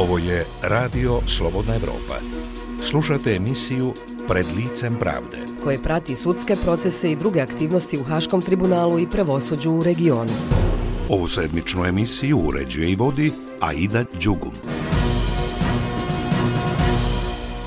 Ovo je Radio Slobodna Evropa. Slušate emisiju Pred licem pravde, koje prati sudske procese i druge aktivnosti u Haškom tribunalu i pravosuđu u regionu. Ovu sedmičnu emisiju uređuje i vodi Aida Đugum.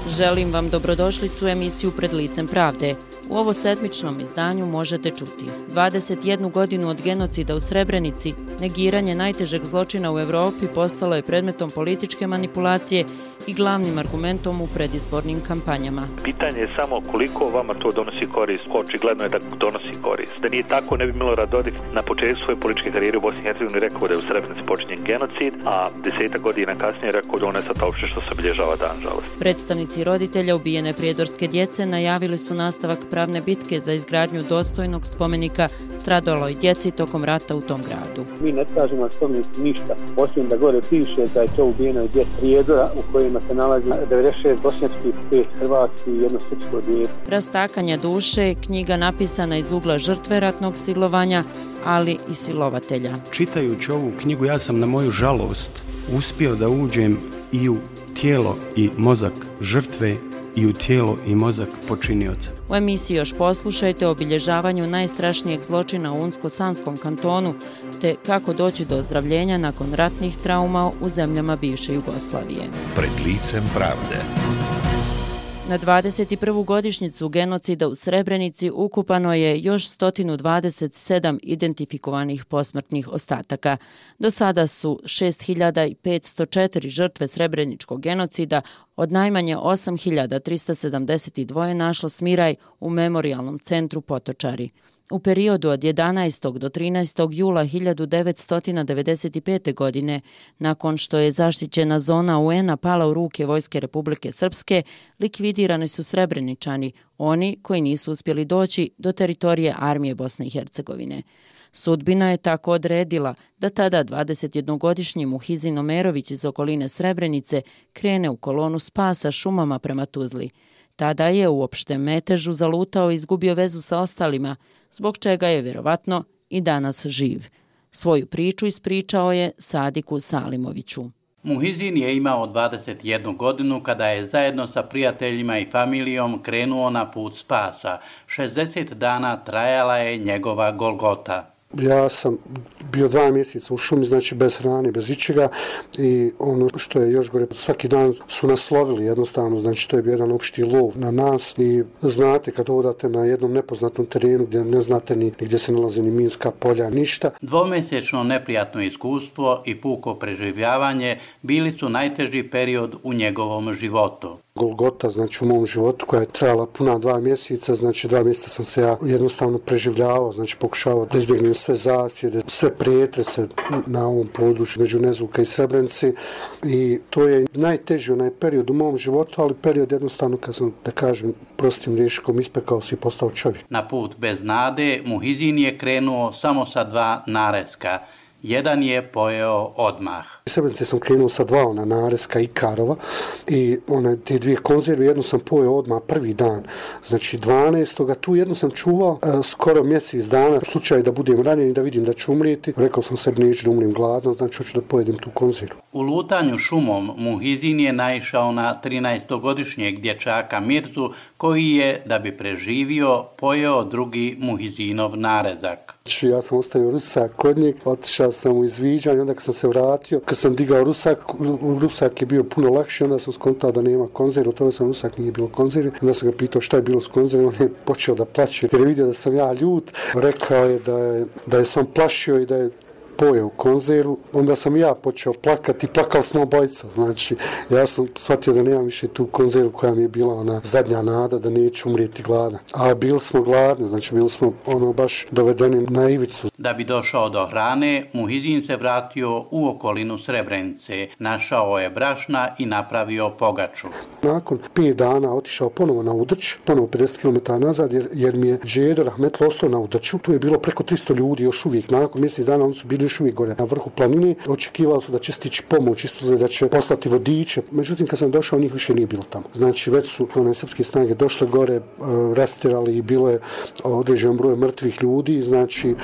Želim vam dobrodošlicu u emisiju Pred licem pravde. U ovo sedmičnom izdanju možete čuti 21 godinu od genocida u Srebrenici, negiranje najtežeg zločina u Evropi postalo je predmetom političke manipulacije i glavnim argumentom u predizbornim kampanjama. Pitanje je samo koliko vama to donosi korist. Očigledno je da donosi korist. Da nije tako, ne bi Milorad Dodik na početku svoje političke karijere u Bosni i Hercegovini rekao da je u Srebrenici počinjen genocid, a 10 godina kasnije rekao da on je sad opšte što se obilježava dan žalosti. Predstavnici roditelja ubijene prijedorske djece najavili su nastavak pravne bitke za izgradnju dostojnog spomenika stradaloj djeci tokom rata u tom gradu. Mi ne tražimo spomenik ništa, osim da gore piše da je to ubijeno djece Prijedora u kojima se nalazi 96 bošnjačkih, 5 hrvatskih i jedno srpsko dijete. Rastakanja duše, knjiga napisana iz ugla žrtve ratnog silovanja, ali i silovatelja. Čitajući ovu knjigu ja sam na moju žalost uspio da uđem i u tijelo i mozak žrtve i u tijelo i mozak počinioca. U emisiji još poslušajte o obilježavanju najstrašnijeg zločina u Unsko-Sanskom kantonu, te kako doći do ozdravljenja nakon ratnih trauma u zemljama bivše Jugoslavije. Pred licem pravde. Na 21. godišnjicu genocida u Srebrenici ukupano je još 127 identifikovanih posmrtnih ostataka. Do sada su 6504 žrtve srebreničkog genocida, od najmanje 8372 našlo smiraj u memorijalnom centru Potočari. U periodu od 11. do 13. jula 1995. godine, nakon što je zaštićena zona UN-a pala u ruke Vojske Republike Srpske, likvidirani su Srebreničani, oni koji nisu uspjeli doći do teritorije armije Bosne i Hercegovine. Sudbina je tako odredila da tada 21-godišnji Muhizin Omerović iz okoline Srebrenice krene u kolonu spasa šumama prema Tuzli. Tada je u opštem metežu zalutao i izgubio vezu sa ostalima, zbog čega je vjerovatno i danas živ. Svoju priču ispričao je Sadiku Salimoviću. Muhizin je imao 21 godinu kada je zajedno sa prijateljima i familijom krenuo na put spasa. 60 dana trajala je njegova Golgota. Ja sam bio 2 mjeseca u šumi, znači bez hrane, bez ičega, i ono što je još gore, svaki dan su nas lovili jednostavno, znači to je bio jedan opšti lov na nas i znate kad odate na jednom nepoznatom terenu gdje ne znate ni gdje se nalazi ni minska polja, ništa. 2-mjesečno neprijatno iskustvo i puko preživljavanje bili su najteži period u njegovom životu. Golgota, znači u mom životu, koja je trajala puna 2 mjeseca, znači 2 mjeseca sam se ja jednostavno preživljavao, znači pokušavao da izbjegnem sve zasjede, sve prijetrese na ovom području među Nezulka i Srebrenici, i to je najteži onaj period u mom životu, ali period jednostavno kad sam, da kažem, prostim rječnikom, ispekao se i postao čovjek. Na put bez nade Muhizin je krenuo samo sa 2 nareska. Jedan je pojeo odmah. U Srebrenici sam krenuo sa 2 nareska i karova i te 2 konzerve, jednu sam pojeo odmah prvi dan, znači 12. Tu jednu sam čuvao skoro mjesec dana, u slučaju da budem ranjen i da vidim da ću umrijeti. Rekao sam sebi neću da umrim gladno, znači hoću da pojedem tu konzervu. U lutanju šumom Muhizin je naišao na 13-godišnjeg dječaka Mirzu, koji je, da bi preživio, pojeo drugi Muhizinov narezak. Ja sam ostavio rusak kod njeg, otišao sam u izviđanje, onda kad sam se vratio, kad sam digao rusak je bio puno lakši, onda sam skontao da nema konzerve, otvorio sam rusak, nije bilo konzerve, onda sam ga pitao šta je bilo s konzervom, on je počeo da plaće, jer je vidio da sam ja ljut, rekao je da je sam plašio i da je pojeo konzervu, onda sam ja počeo plakati, plakali smo obojica, znači ja sam shvatio da nemam više tu konzervu koja mi je bila ona zadnja nada da neću umrijeti gladan. A bili smo gladni, znači bili smo baš dovedeni na ivicu. Da bi došao do hrane, Muhizin se vratio u okolinu Srebrenice, našao je brašna i napravio pogaču. Nakon 5 dana otišao ponovo na Udrć, ponovo 50 km nazad, jer mi je Džedo Rahmetlo ostao na Udrću, tu je bilo preko 300 ljudi još uvijek, nakon mjesec dana oni su bili bili još uvijek gore na vrhu planine. Očekivali su da će stići pomoć, isto da će poslati vodiče. Međutim, kad sam došao, njih više nije bilo tamo. Znači, već su one srpske snage došle gore, rastirali i bilo je određen broj mrtvih ljudi. Znači,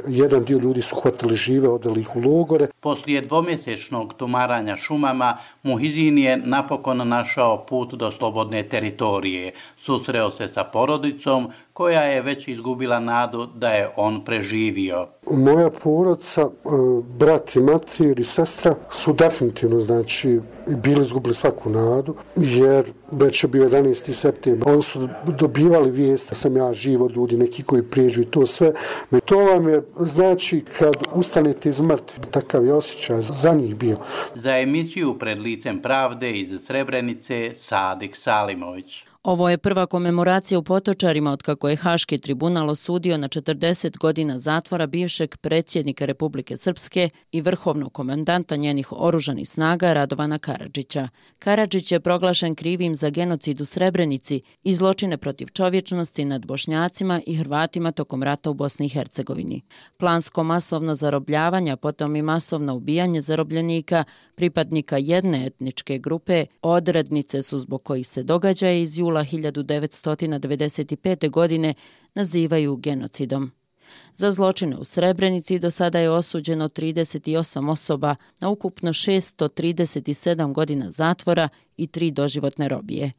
jedan dio ljudi su hvatili žive, odveli ih u logore. Poslije dvomjesečnog tumaranja šumama, Muhidin je napokon našao put do slobodne teritorije. Susreo se sa porodicom koja je već izgubila nadu da je on preživio. Moja porodica, brat i mater i sestra su definitivno, znači, bili izgubili svaku nadu, jer već je bio 11. septembar. Oni su dobivali vijest da sam ja živ od ljudi, neki koji prijeđu i to sve. To vam je, znači, kad ustanete iz mrtvi, takav je osjećaj za njih bio. Za emisiju Pred licem pravde iz Srebrenice, Sadik Salimović. Ovo je prva komemoracija u Potočarima otkako je Haški tribunal osudio na 40 godina zatvora bivšeg predsjednika Republike Srpske i vrhovnog komandanta njenih oružanih snaga Radovana Karadžića. Karadžić je proglašen krivim za genocid u Srebrenici i zločine protiv čovječnosti nad Bošnjacima i Hrvatima tokom rata u Bosni i Hercegovini. Plansko masovno zarobljavanje, potom i masovno ubijanje zarobljenika, pripadnika jedne etničke grupe, odrednice su zbog kojih se događaje iz jula 1995. godine nazivaju genocidom. Za zločine u Srebrenici do sada je osuđeno 38 osoba na ukupno 637 godina zatvora i 3 doživotne robije.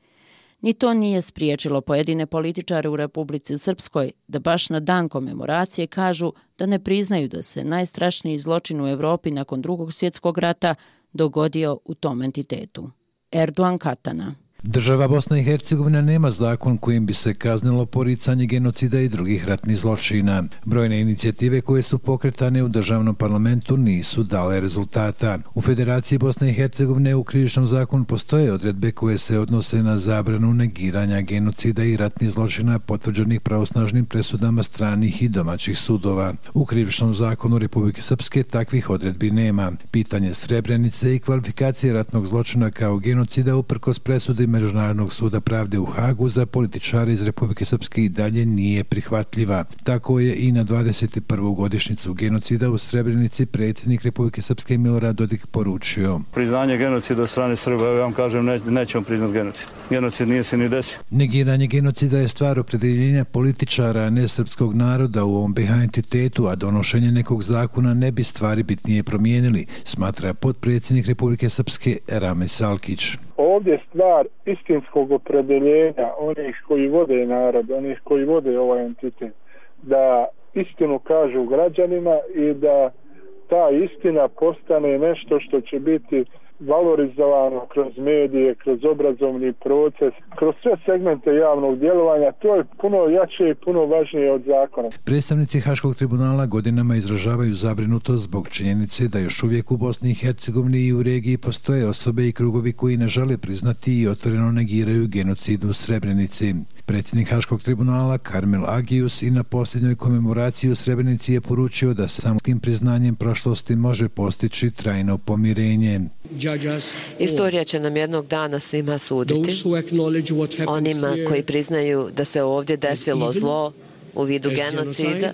Ni to nije spriječilo pojedine političare u Republici Srpskoj da baš na dan komemoracije kažu da ne priznaju da se najstrašniji zločin u Europi nakon Drugog svjetskog rata dogodio u tom entitetu. Erdogan Katana. Država Bosna i Hercegovina nema zakon kojim bi se kaznilo poricanje genocida i drugih ratnih zločina. Brojne inicijative koje su pokretane u državnom parlamentu nisu dale rezultata. U Federaciji Bosne i Hercegovine u krivičnom zakonu postoje odredbe koje se odnose na zabranu negiranja genocida i ratnih zločina potvrđenih pravosnažnim presudama stranih i domaćih sudova. U krivičnom zakonu Republike Srpske takvih odredbi nema. Pitanje Srebrenice i kvalifikacije ratnog zločina kao genocida uprkos presudi Međunarodnog suda pravde u Hagu za političare iz Republike Srpske i dalje nije prihvatljiva. Tako je i na 21. godišnjicu genocida u Srebrenici predsjednik Republike Srpske Milorad Dodik poručio. Priznanje genocida od strane Srba, ja vam kažem, nećemo priznati genocid. Genocid nije se ni desio. Negiranje genocida je stvar opredjeljenja političara, a ne srpskog naroda u ovom BiH entitetu, a donošenje nekog zakona ne bi stvari bitnije promijenili, smatra potpredsjednik Republike Srpske Rame Salkić. Ovdje stvar istinskog opredjeljenja onih koji vode narod, onih koji vode ovaj entitet, da istinu kažu građanima i da ta istina postane nešto što će biti valorizovano kroz medije, kroz obrazovni proces, kroz sve segmente javnog djelovanja. To je puno jače i puno važnije od zakona. Predstavnici Haškog tribunala godinama izražavaju zabrinutost zbog činjenice da još uvijek u Bosni i Hercegovini i u regiji postoje osobe i krugovi koji ne žele priznati i otvoreno negiraju genocid u Srebrenici. Predsjednik Haškog tribunala Karmel Agius i na posljednjoj komemoraciji u Srebrenici je poručio da se samoskim priznanjem prošlosti može postići trajno pomirenje. Istorija će nam jednog dana svima suditi. Onima koji priznaju da se ovdje desilo zlo u vidu genocida,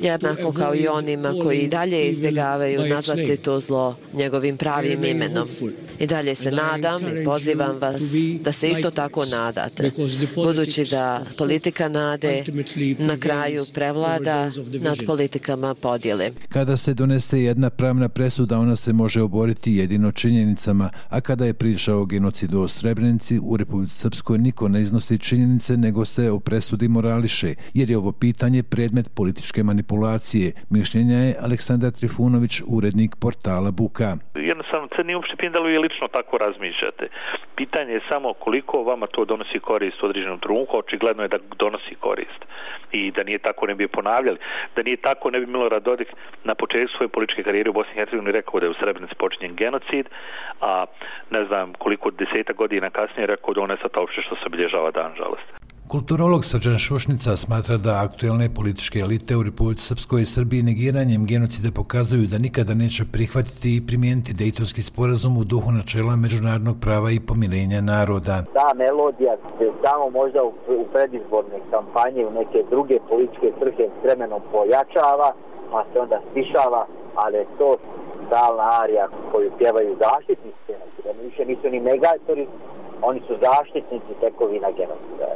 jednako kao i onima koji i dalje izbjegavaju nazvati to zlo njegovim pravim imenom. I dalje se nadam i pozivam vas da se isto tako nadate, budući da politika nade na kraju prevlada nad politikama podjele. Kada se donese jedna pravna presuda, ona se može oboriti jedino činjenicama, a kada je priča o genocidu u Srebrenici, u Republici Srpskoj niko ne iznosi činjenice, nego se o presudi morališe, jer je ovo pitanje predmet političke manipulacije. Mišljenja je Aleksandar Trifunović, urednik portala Buka. Jednostavno, se nije uopšte pitanje da li vi lično tako razmišljate. Pitanje je samo koliko vama to donosi korist u određenom trenutku. Očigledno je da donosi korist. I da nije tako ne bi ponavljali. Da nije tako ne bi Milorad Dodik na početku svoje političke karijere u Bosni i Hercegovini rekao da je u Srebrenici počinjen genocid, a ne znam koliko 10 godina kasnije rekao da on je sad uopšte što se obilježava dan žalosti. Kulturolog Srđan Šušnica smatra da aktuelne političke elite u Republici Srpskoj i Srbiji negiranjem genocida pokazuju da nikada neće prihvatiti i primijeniti Dejtonski sporazum u duhu načela međunarodnog prava i pomirenja naroda. Ta melodija se samo možda u predizborne kampanje, u neke druge političke svrhe s vremenom pojačava, pa se onda stišava, ali je to stalna arija koju pjevaju zaštitnici genocida. Više nisu ni negatori, oni su zaštitnici tekovina genocida.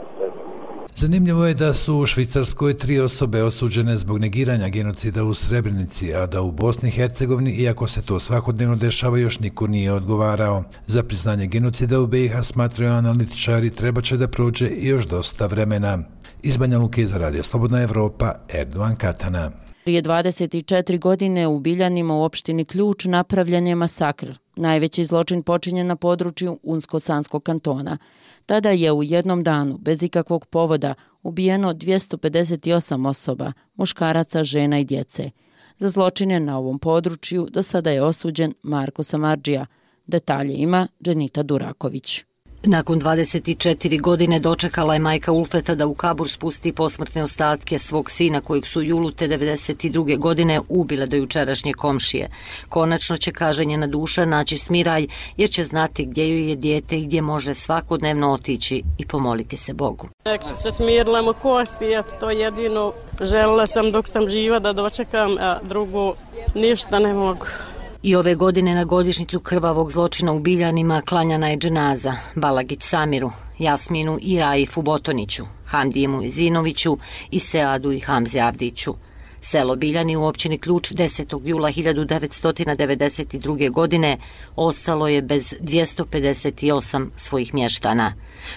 Zanimljivo je da su u Švicarskoj 3 osobe osuđene zbog negiranja genocida u Srebrenici, a da u Bosni i Hercegovini, iako se to svakodnevno dešava, još niko nije odgovarao. Za priznanje genocida u BiH, smatraju analitičari, treba će da prođe još dosta vremena. Iz Banja Luke za Radio Slobodna Evropa, Erdovan Katana. Prije 24 godine u Biljanima u opštini Ključ napravljen je masakr. Najveći zločin počinjen na području Unsko-Sanskog kantona. Tada je u jednom danu, bez ikakvog povoda, ubijeno 258 osoba, muškaraca, žena i djece. Za zločine na ovom području do sada je osuđen Marko Samardžija. Detalje ima Dženita Duraković. Nakon 24 godine dočekala je majka Ulfeta da u kabur spusti posmrtne ostatke svog sina kojeg su julu te 92. godine ubile do jučerašnje komšije. Konačno će, kaže njena duša, naći smiraj jer će znati gdje joj je dijete i gdje može svakodnevno otići i pomoliti se Bogu. Nek se smirila mu kosti, to jedino želela sam dok sam živa da dočekam, a drugo ništa ne mogu. I ove godine na godišnjicu krvavog zločina u Biljanima klanjana je dženaza Balagić Samiru, Jasminu i Raifu Botoniću, Hamdijemu Zinoviću i Seadu i Hamzi Avdiću. Selo Biljani u općini Ključ 10. jula 1992. godine ostalo je bez 258 svojih mještana.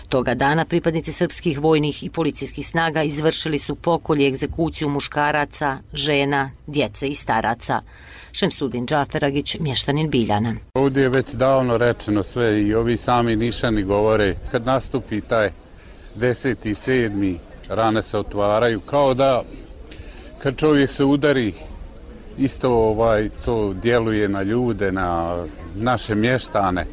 Toga dana pripadnici srpskih vojnih i policijskih snaga izvršili su pokolj i egzekuciju muškaraca, žena, djece i staraca. Šemsudin Džaferagić, mještanin Biljana. Ovdje je već davno rečeno sve i ovi sami Nišani govore, kad nastupi taj 10.7. rane se otvaraju, kao da kad čovjek se udari, isto to djeluje na ljude, na naše mještane,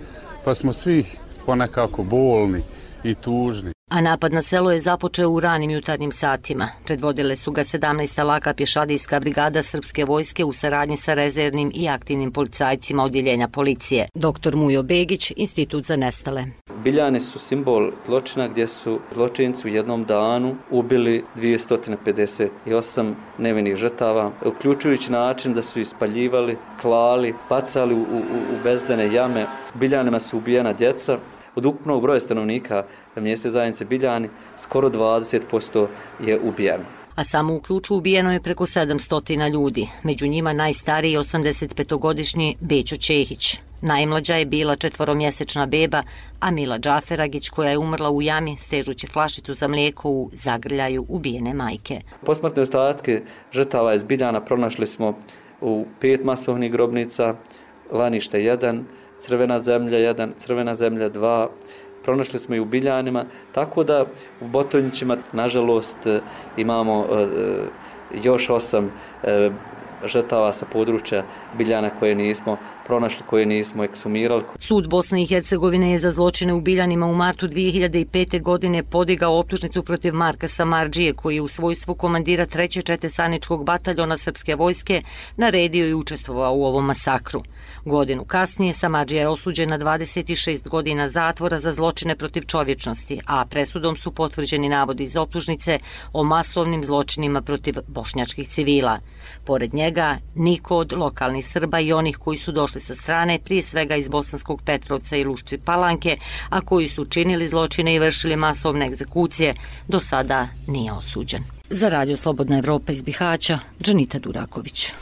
pa smo svi ponekako bolni i tužni. A napad na selo je započeo u ranim jutarnjim satima. Predvodile su ga 17. laka pješadijska brigada srpske vojske u saradnji sa rezervnim i aktivnim policajcima odjeljenja policije. Dr. Mujo Begić, Institut za nestale. Biljani su simbol zločina gdje su zločinci u jednom danu ubili 258 nevinih žrtava, uključujući način da su ispaljivali, klali, bacali u bezdane jame. U Biljanima su ubijena djeca. Od ukupnog broja stanovnika mjesne zajednice Biljani skoro 20% je ubijeno. A samo u Ključu ubijeno je preko 700 ljudi. Među njima najstariji 85-godišnji Bećo Čehić. Najmlađa je bila 4-mjesečna beba, a Mila Džaferagić, koja je umrla u jami stežući flašicu za mlijeko u zagrljaju ubijene majke. Posmrtne ostatke žrtava iz Biljana pronašli smo u 5 masovnih grobnica, Lanište 1, Crvena zemlja 1, Crvena zemlja 2, pronašli smo i u Biljanima, tako da u Botonjićima, nažalost, imamo još 8 žrtava sa područja Biljana koje nismo pronašli, koje nismo eksumirali. Sud Bosne i Hercegovine je za zločine u Biljanima u martu 2005. godine podigao optužnicu protiv Marka Samardžije, koji je u svojstvu komandira 3. četesaničkog bataljona srpske vojske naredio i učestvovao u ovom masakru. Godinu kasnije Samardžija je osuđen na 26 godina zatvora za zločine protiv čovječnosti, a presudom su potvrđeni navodi iz optužnice o masovnim zločinima protiv bošnjačkih civila. Pored njega, niko od lokalnih Srba i onih koji su došli sa strane, prije svega iz Bosanskog Petrovca i Lušci Palanke, a koji su činili zločine i vršili masovne egzekucije, do sada nije osuđen. Za Radio Slobodna Evropa iz Bihaća, Dženita Duraković.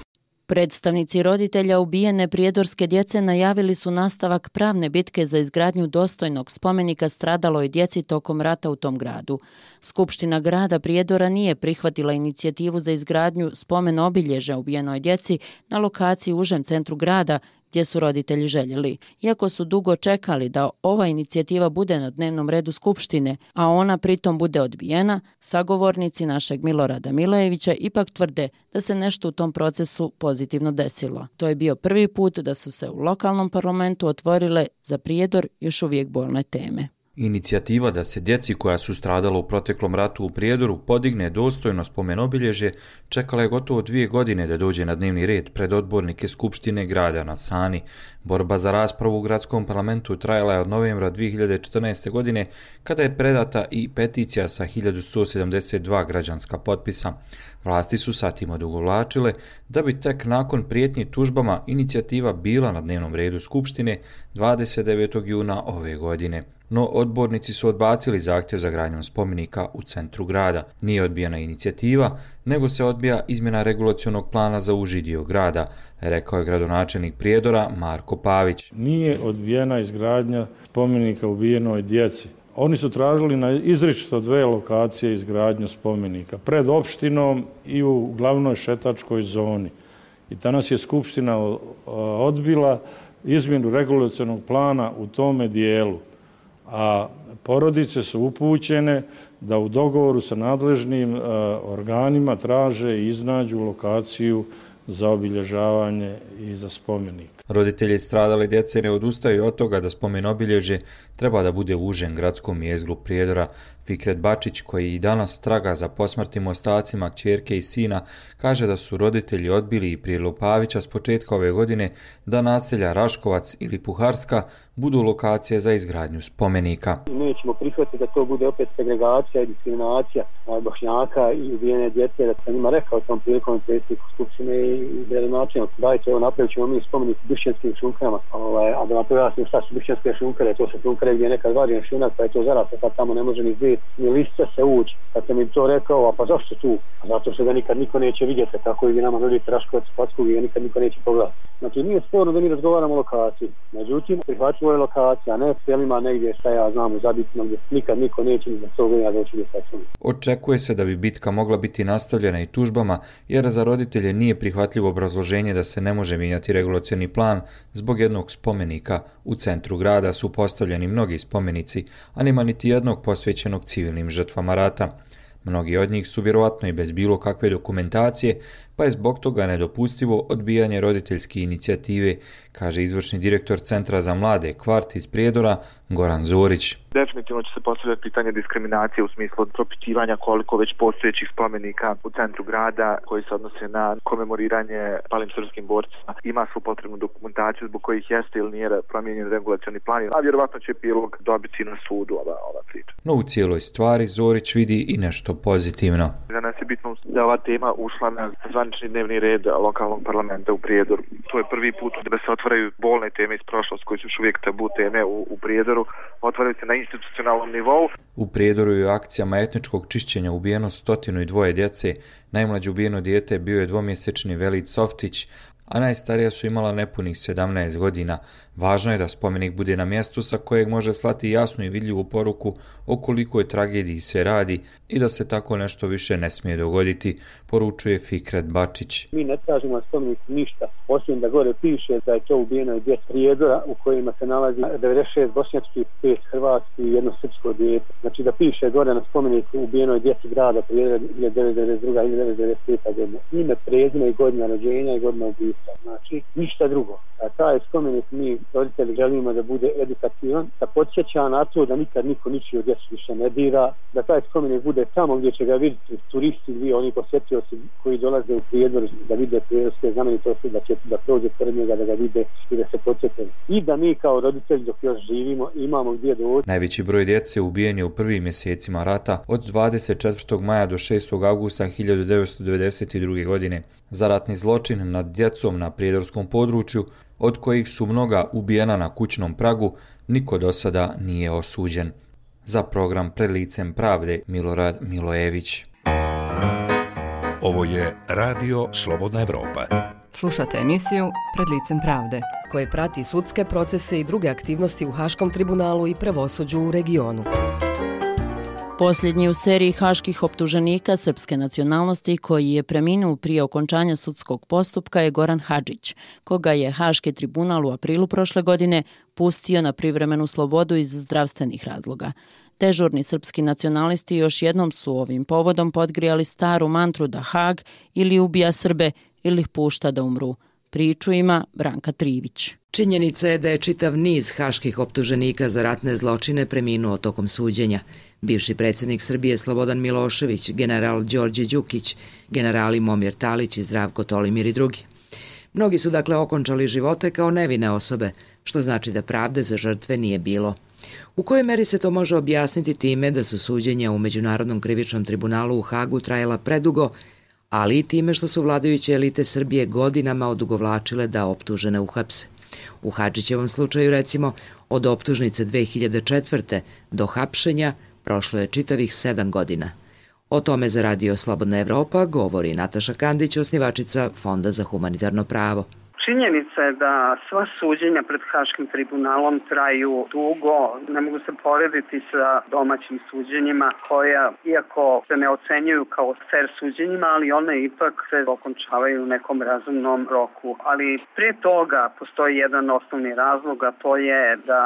Predstavnici roditelja ubijene prijedorske djece najavili su nastavak pravne bitke za izgradnju dostojnog spomenika stradaloj djeci tokom rata u tom gradu. Skupština grada Prijedora nije prihvatila inicijativu za izgradnju spomen obilježja ubijenoj djeci na lokaciji u užem centru grada, gdje su roditelji željeli. Iako su dugo čekali da ova inicijativa bude na dnevnom redu Skupštine, a ona pritom bude odbijena, sagovornici našeg Milorada Milojevića ipak tvrde da se nešto u tom procesu pozitivno desilo. To je bio prvi put da su se u lokalnom parlamentu otvorile za Prijedor još uvijek bolne teme. Inicijativa da se djeci koja su stradala u proteklom ratu u Prijedoru podigne dostojno spomenobilježje čekala je gotovo 2 godine da dođe na dnevni red pred odbornike Skupštine grada na Sani. Borba za raspravu u gradskom parlamentu trajala je od novembra 2014. godine kada je predata i peticija sa 1172 građanska potpisa. Vlasti su sa tim odugovlačile da bi tek nakon prijetnji tužbama inicijativa bila na dnevnom redu Skupštine 29. juna ove godine. No odbornici su odbacili zahtjev za gradnjom spomenika u centru grada. Nije odbijena inicijativa, nego se odbija izmjena regulacionog plana za uži dio grada, rekao je gradonačelnik Prijedora Marko Pavić. Nije odbijena izgradnja spomenika ubijenoj djeci. Oni su tražili na izričito 2 lokacije izgradnju spomenika, pred opštinom i u glavnoj šetačkoj zoni. I danas je Skupština odbila izmjenu regulacionog plana u tome dijelu. A porodice su upućene da u dogovoru sa nadležnim organima traže i iznađu lokaciju za obilježavanje i za spomenik. Roditelji stradale djece ne odustaju od toga da spomenobilježje treba da bude u užem gradskom jezgru Prijedora. Fikret Bačić, koji i danas traga za posmrtnim ostacima kćerke i sina, kaže da su roditelji odbili i prijedlog Pavića s početka ove godine da naselja Raškovac ili Puharska budu lokacije za izgradnju spomenika. Nećemo prihvatiti da to bude opet segregacija i diskriminacija Bošnjaka i ubijene djece, da sam njima rekao tom prilikom predsjedniku Skupštine i gradonačelniku, dajte evo napravit ćemo mi spomenik Bišćanskim šunkama, a da vam pojasnim šta su Bišćanske šunkare, to su šunkare gdje je nekad vađen šunak, pa je to zaraslo, pa tamo ne može ni zid, ni lista se ući. Kad sam im to rekao, a pa zašto tu? A zato što ga nikad niko neće vidjeti, tako i vi nama nudite Raškovac, Packu, i ga nikad niko neće pogledati. Znači nije sporno da mi razgovaramo o lokaciji, međutim prihvatljivo je lokacija, ne selima negdje šta ja znam u Zabitima gdje nikad niko neće ni za 100 godina doći do Saksona. Očekuje se da bi bitka mogla biti nastavljena i tužbama, jer za roditelje nije prihvatljivo obrazloženje da se ne može mijenjati regulacioni plan zbog jednog spomenika. U centru grada su postavljeni mnogi spomenici, a nema niti jednog posvećenog civilnim žrtvama rata. Mnogi od njih su vjerovatno i bez bilo kakve dokumentacije, pa je zbog toga nedopustivo odbijanje roditeljske inicijative, kaže izvršni direktor Centra za mlade Kvart iz Prijedora Goran Zorić. Definitivno će se postavljati pitanje diskriminacije u smislu propitivanja koliko već postojećih spomenika u centru grada koji se odnose na komemoriranje palim srpskim borcima ima svu potrebnu dokumentaciju zbog kojih jeste ili nije promijenjen regulacioni plan, a vjerovatno će epilog dobiti na sudu ova priča. No u cijeloj stvari Zorić vidi i nešto pozitivno. Za nas je bitno da ova tema ušla na zvanični dnevni red lokalnog parlamenta u Prijedoru. To je prvi put da se otvaraju bolne teme iz prošlosti koji su još uvijek tabu teme u Prijedoru, otvaraju se na institucionalnom nivou. U Prijedoru je u akcijama etničkog čišćenja ubijeno 102 djece. Najmlađe ubijeno dijete bio je 2-mjesečni Velid Softić, a najstarija su imala nepunih 17 godina. Važno je da spomenik bude na mjestu sa kojeg može slati jasnu i vidljivu poruku o kolikoj tragediji se radi i da se tako nešto više ne smije dogoditi, poručuje Fikret Bačić. Mi ne tražimo spomenik ništa, osim da gore piše da je to ubijeno djece Prijedora u kojima se nalazi 96 bošnjačkih, 5 hrvatskih i 1 srpsko dijete. Znači da piše gore na spomeniku ubijenoj djeci grada Prijedora 1992. i 1995. godina. Ime, prezime i godina rođenja i godina ubistva. Znači ništa drugo. A taj spomenik mi roditelji želimo da bude edukativan, da podsjeća na to da nikad niko ničiju djecu više ne dira, da taj spomenik bude tamo gdje će ga vidjeti turisti, oni posjetioci koji dolaze u Prijedor da vide prijedorske znamenitosti, da prođe pored njega, da ga vide i da se podsjete. I da mi kao roditelji dok još živimo imamo gdje doći. Najveći broj djece ubijen je u prvim mjesecima rata od 24. maja do 6. augusta 1992. godine. Za ratni zločin nad djecom na prijedorskom području, od kojih su mnoga ubijena na kućnom pragu, niko do sada nije osuđen. Za program Pred licem pravde Milorad Milojević. Ovo je Radio Slobodna Evropa. Slušate emisiju Pred licem pravde, koje prati sudske procese i druge aktivnosti u Haškom tribunalu i pravosuđu u regionu. Posljednji u seriji haških optuženika srpske nacionalnosti koji je preminuo prije okončanja sudskog postupka je Goran Hadžić, koga je Haški tribunal u aprilu prošle godine pustio na privremenu slobodu iz zdravstvenih razloga. Dežurni srpski nacionalisti još jednom su ovim povodom podgrijali staru mantru da Hag ili ubija Srbe ili ih pušta da umru. Priču ima Branka Trivić. Činjenica je da je čitav niz haških optuženika za ratne zločine preminuo tokom suđenja. Bivši predsjednik Srbije Slobodan Milošević, general Đorđe Đukić, generali Momir Talić i Zdravko Tolimir i drugi. Mnogi su dakle okončali živote kao nevine osobe, što znači da pravde za žrtve nije bilo. U kojoj meri se to može objasniti time da su suđenja u Međunarodnom krivičnom tribunalu u Hagu trajala predugo, ali i time što su vladajuće elite Srbije godinama odugovlačile da optužene uhapse. U Hadžićevom slučaju, recimo, od optužnice 2004. do hapšenja prošlo je čitavih 7 godina. O tome za Radio Slobodna Evropa govori Nataša Kandić, osnivačica Fonda za humanitarno pravo. Činjenica je da sva suđenja pred Haškim tribunalom traju dugo, ne mogu se porediti sa domaćim suđenjima koja, iako se ne ocenjuju kao fair suđenjima, ali one ipak se okončavaju u nekom razumnom roku. Ali prije toga postoji jedan osnovni razlog, a to je da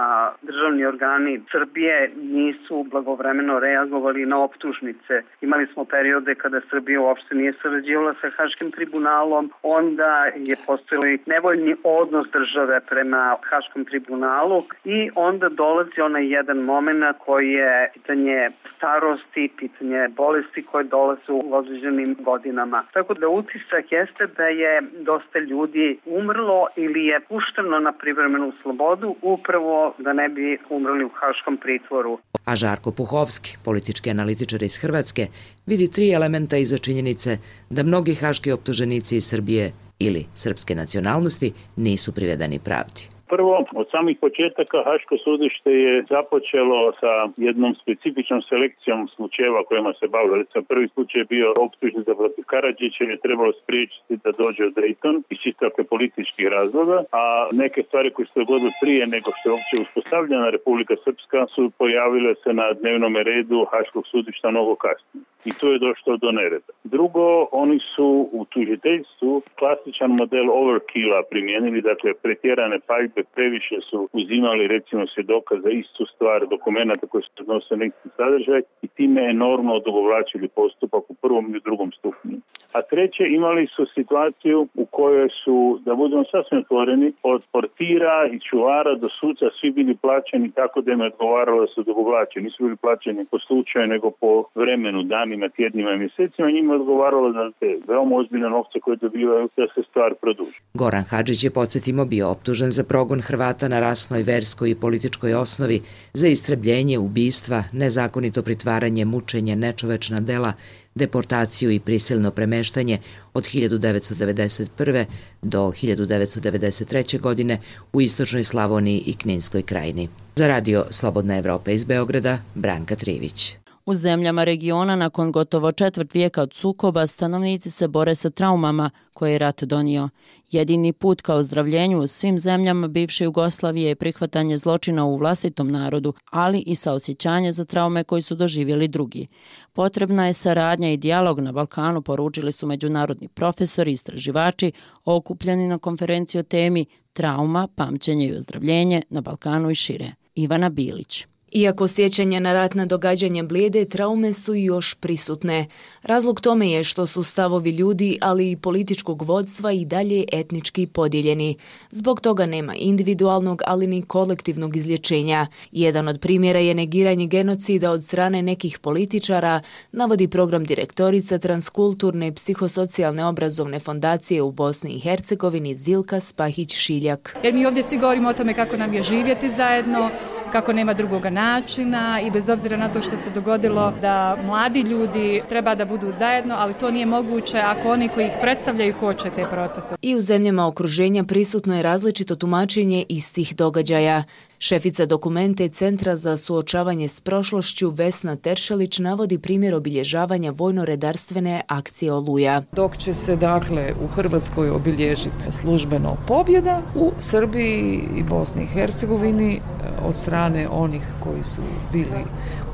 državni organi Srbije nisu blagovremeno reagovali na optužnice. Imali smo periode kada Srbija uopšte nije sarađivala sa Haškim tribunalom, onda je postojali nevoljni odnos države prema Haškom tribunalu i onda dolazi onaj jedan moment koji je pitanje starosti, pitanje bolesti koje dolaze u određenim godinama. Tako da utisak jeste da je dosta ljudi umrlo ili je pušteno na privremenu slobodu upravo da ne bi umrli u haškom pritvoru. A Žarko Puhovski, politički analitičar iz Hrvatske, vidi 3 elementa iza činjenice da mnogi haški optuženici iz Srbije ili srpske nacionalnosti nisu privedeni pravdi. Prvo, od samih početaka Haško sudište je započelo sa jednom specifičnom selekcijom slučajeva kojima se bavilo. Recimo, prvi slučaj je bio optužnica protiv Karadžića je trebalo spriječiti da dođe u Dayton iz čisto političkih razloga, a neke stvari koje su se dogodile prije nego što je uopće uspostavljena Republika Srpska su pojavile se na dnevnom redu Haškog sudišta mnogo kasnije. I tu je došlo do nereda. Drugo, oni su u tužiteljstvu klasičan model overkilla primijenili, dakle pretjerane paljbe, previše su uzimali recimo svjedoka za istu stvar, dokumenta koji se odnose na isti sadržaj i time enormno odugovlačili postupak u prvom i u drugom stupnju. A treće, imali su situaciju u kojoj su, da budemo sasvim otvoreni, od portira i čuvara do suca svi bili plaćeni tako da im je odgovaralo da su odugovlačeni. Nisu bili plaćeni po slučaju nego po vremenu, danima, tjednima i mjesecima. Njima je odgovaralo da te veoma ozbiljne novce koje dobivaju da se stvar produži. Goran Hadžić je, podsjetimo, bio optužen za progon Hrvata na rasnoj, verskoj i političkoj osnovi, za istrebljenje, ubistva, nezakonito pritvaranje, mučenje, nečovečna dela, deportaciju i prisilno premeštanje od 1991. do 1993. godine u istočnoj Slavoniji i Kninskoj krajini. Za Radio Slobodna Evropa iz Beograda, Branka Trivić. U zemljama regiona nakon gotovo 1/4 vijeka od sukoba stanovnici se bore sa traumama koje je rat donio. Jedini put ka ozdravljenju u svim zemljama bivše Jugoslavije je prihvatanje zločina u vlastitom narodu, ali i saosjećanje za traume koji su doživjeli drugi. Potrebna je saradnja i dijalog na Balkanu, poručili su međunarodni profesori i istraživači okupljeni na konferenciji o temi Trauma, pamćenje i ozdravljenje na Balkanu i šire. Ivana Bilić. Iako sjećanja na ratna događanja blijede, traume su još prisutne. Razlog tome je što su stavovi ljudi, ali i političkog vodstva i dalje etnički podijeljeni. Zbog toga nema individualnog, ali ni kolektivnog izlječenja. Jedan od primjera je negiranje genocida od strane nekih političara, navodi program direktorica Transkulturne psihosocijalne obrazovne fondacije u Bosni i Hercegovini Zilka Spahić-Šiljak. Jer mi ovdje svi govorimo o tome kako nam je živjeti zajedno, kako nema drugoga načina i bez obzira na to što se dogodilo da mladi ljudi treba da budu zajedno, ali to nije moguće ako oni koji ih predstavljaju koče te procese. I u zemljama okruženja prisutno je različito tumačenje istih događaja. Šefica dokumente Centra za suočavanje s prošlošću Vesna Teršelić navodi primjer obilježavanja vojno-redarstvene akcije Oluja. Dok će se dakle u Hrvatskoj obilježiti službeno pobjeda, u Srbiji i Bosni i Hercegovini od strane onih koji su bili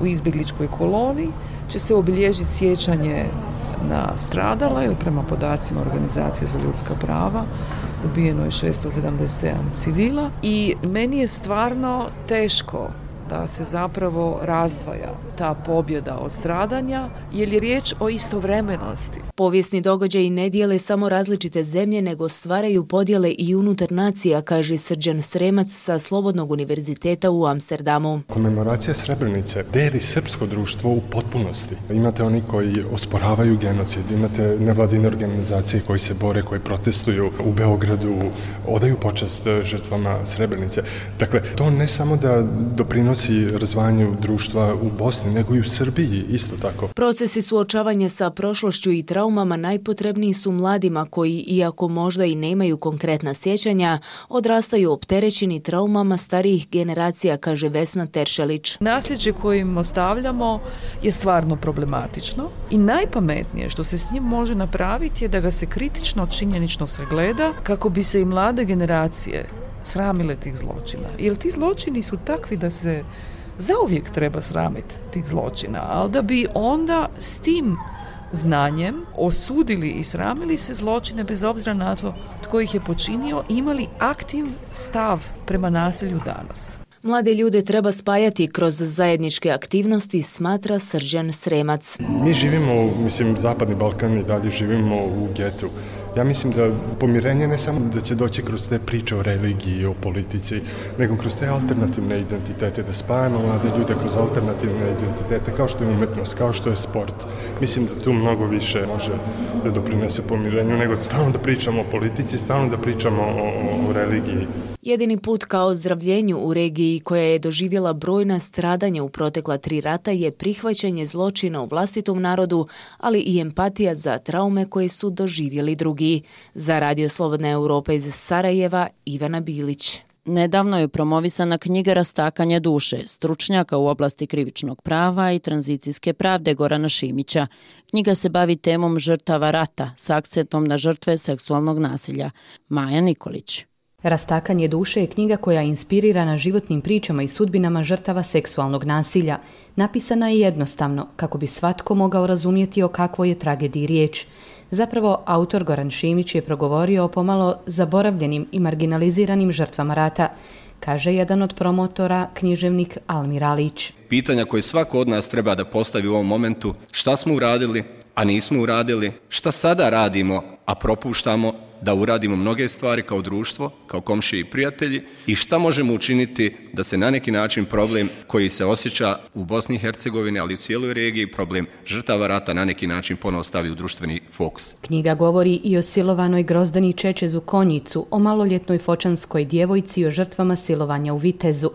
u izbjegličkoj koloniji će se obilježiti sjećanje na stradala ili prema podacima Organizacije za ljudska prava ubijeno je 677 civila i meni je stvarno teško da se zapravo razdvaja ta pobjeda od stradanja, jer je riječ o istovremenosti. Povijesni događaji ne dijele samo različite zemlje, nego stvaraju podjele i unutar nacija, kaže Srđan Sremac sa Slobodnog univerziteta u Amsterdamu. Komemoracija Srebrenice deli srpsko društvo u potpunosti. Imate oni koji osporavaju genocid, imate nevladine organizacije koji se bore, koji protestuju u Beogradu, odaju počast žrtvama Srebrenice. Dakle, to ne samo da doprinosi razvanju društva u Bosni, nego i u Srbiji isto tako. Procesi suočavanja sa prošlošću i traumama najpotrebniji su mladima koji, iako možda i nemaju konkretna sjećanja, odrastaju opterećeni traumama starijih generacija, kaže Vesna Teršelić. Nasljeđe koje im ostavljamo je stvarno problematično i najpametnije što se s njim može napraviti je da ga se kritično, činjenično sagleda kako bi se i mlade generacije sramile tih zločina. Jer ti zločini su takvi da se zauvijek treba sramiti tih zločina, ali da bi onda s tim znanjem osudili i sramili se zločine bez obzira na to tko ih je počinio, imali aktiv stav prema nasilju danas. Mlade ljude treba spajati kroz zajedničke aktivnosti, smatra Srđan Sremac. Mi živimo, Zapadni Balkan i dalje živimo u getu. Ja mislim da pomirenje ne samo da će doći kroz te priče o religiji i o politici, nego kroz te alternativne identitete, da spajamo mlade ljude kroz alternativne identitete, kao što je umetnost, kao što je sport. Mislim da tu mnogo više može da doprinese pomirenju, nego stalno da pričamo o politici, stalno da pričamo o religiji. Jedini put ka ozdravljenju u regiji koja je doživjela brojna stradanja u protekla 3 rata je prihvaćanje zločina u vlastitom narodu, ali i empatija za traume koje su doživjeli drugi. Za Radio Slobodna Europa iz Sarajeva, Ivana Bilić. Nedavno je promovisana knjiga Rastakanje duše, stručnjaka u oblasti krivičnog prava i tranzicijske pravde Gorana Šimića. Knjiga se bavi temom žrtava rata s akcentom na žrtve seksualnog nasilja. Maja Nikolić. Rastakanje duše je knjiga koja je inspirirana životnim pričama i sudbinama žrtava seksualnog nasilja. Napisana je jednostavno, kako bi svatko mogao razumjeti o kakvoj je tragediji riječ. Zapravo, autor Goran Šimić je progovorio o pomalo zaboravljenim i marginaliziranim žrtvama rata, kaže jedan od promotora, književnik Almir Alić. Pitanja koje svako od nas treba da postavi u ovom momentu: šta smo uradili, a nismo uradili, šta sada radimo, a propuštamo da uradimo mnoge stvari kao društvo, kao komšije i prijatelji, i šta možemo učiniti da se na neki način problem koji se osjeća u Bosni i Hercegovini, ali i u cijeloj regiji, problem žrtava rata, na neki način ponovo stavi u društveni fokus. Knjiga govori i o silovanoj Grozdani Čečezu Konjicu, o maloljetnoj fočanskoj djevojci i o žrtvama silovanja u Vitezu.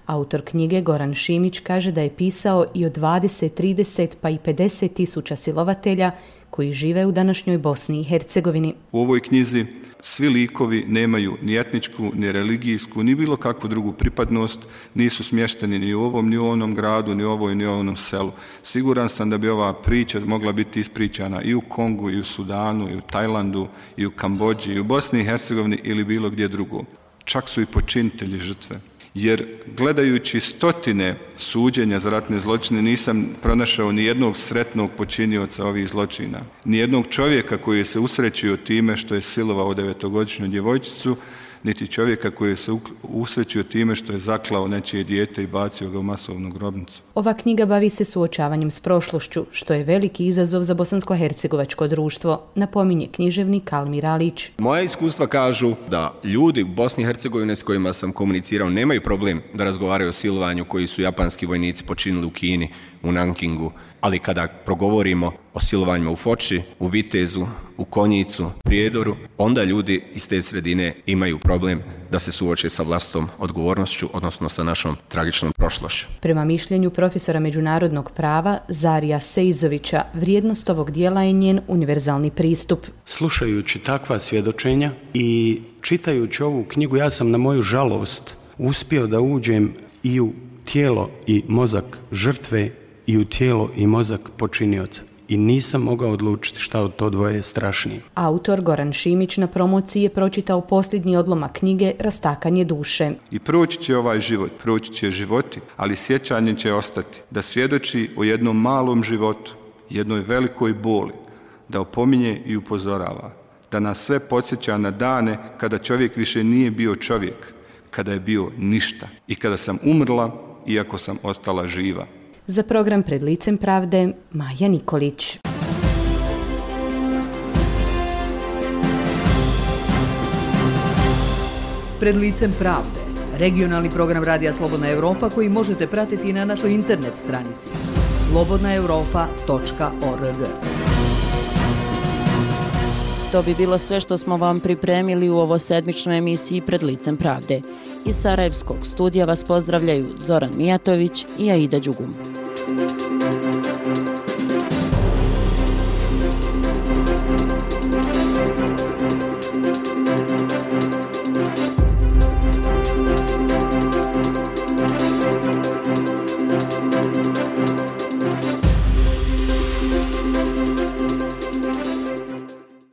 Autor knjige Goran Šimić kaže da je pisao i o 20, 30 pa i 50 tisuća silovatelja koji žive u današnjoj Bosni i Hercegovini. U ovoj knjizi svi likovi nemaju ni etničku, ni religijsku, ni bilo kakvu drugu pripadnost, nisu smješteni ni u ovom, ni u onom gradu, ni u ovoj, ni u onom selu. Siguran sam da bi ova priča mogla biti ispričana i u Kongu, i u Sudanu, i u Tajlandu, i u Kambodži, i u Bosni i Hercegovini ili bilo gdje drugo. Čak su i počinitelji žrtve. Jer gledajući stotine suđenja za ratne zločine nisam pronašao ni jednog sretnog počinioca ovih zločina. Ni jednog čovjeka koji je se usrećio time što je silovao 9-godišnju djevojčicu, niti čovjeka koji je se usrećio time što je zaklao nečije dijete i bacio ga u masovnu grobnicu. Ova knjiga bavi se suočavanjem s prošlošću, što je veliki izazov za bosansko-hercegovačko društvo, napominje književnik Almir Alić. Moja iskustva kažu da ljudi u Bosni i Hercegovini s kojima sam komunicirao nemaju problem da razgovaraju o silovanju koji su japanski vojnici počinili u Kini, u Nankingu, ali kada progovorimo o silovanjima u Foči, u Vitezu, u Konjicu, Prijedoru, onda ljudi iz te sredine imaju problem da se suoče sa vlastitom odgovornošću, odnosno sa našom tragičnom prošlošću. Prema mišljenju profesora međunarodnog prava Zarija Sejzovića, vrijednost ovog dijela je njen univerzalni pristup. Slušajući takva svjedočenja i čitajući ovu knjigu, ja sam na moju žalost uspio da uđem i u tijelo i mozak žrtve i u tijelo i mozak počinioca. I nisam mogao odlučiti šta od to dvoje je strašnije. Autor Goran Šimić na promociji je pročitao posljednji odlomak knjige Rastakanje duše. I proći će ovaj život, proći će životi, ali sjećanje će ostati. Da svjedoči o jednom malom životu, jednoj velikoj boli, da opominje i upozorava. Da nas sve podsjeća na dane kada čovjek više nije bio čovjek, kada je bio ništa i kada sam umrla iako sam ostala živa. Za program Pred licem pravde, Maja Nikolić. Pred licem pravde, regionalni program Radija Slobodna Evropa koji možete pratiti na našoj internet stranici slobodnaevropa.org. To bi bilo sve što smo vam pripremili u ovo sedmičnoj emisiji Pred licem pravde. Iz Sarajevskog studija vas pozdravljaju Zoran Mijatović i Aida Đugum.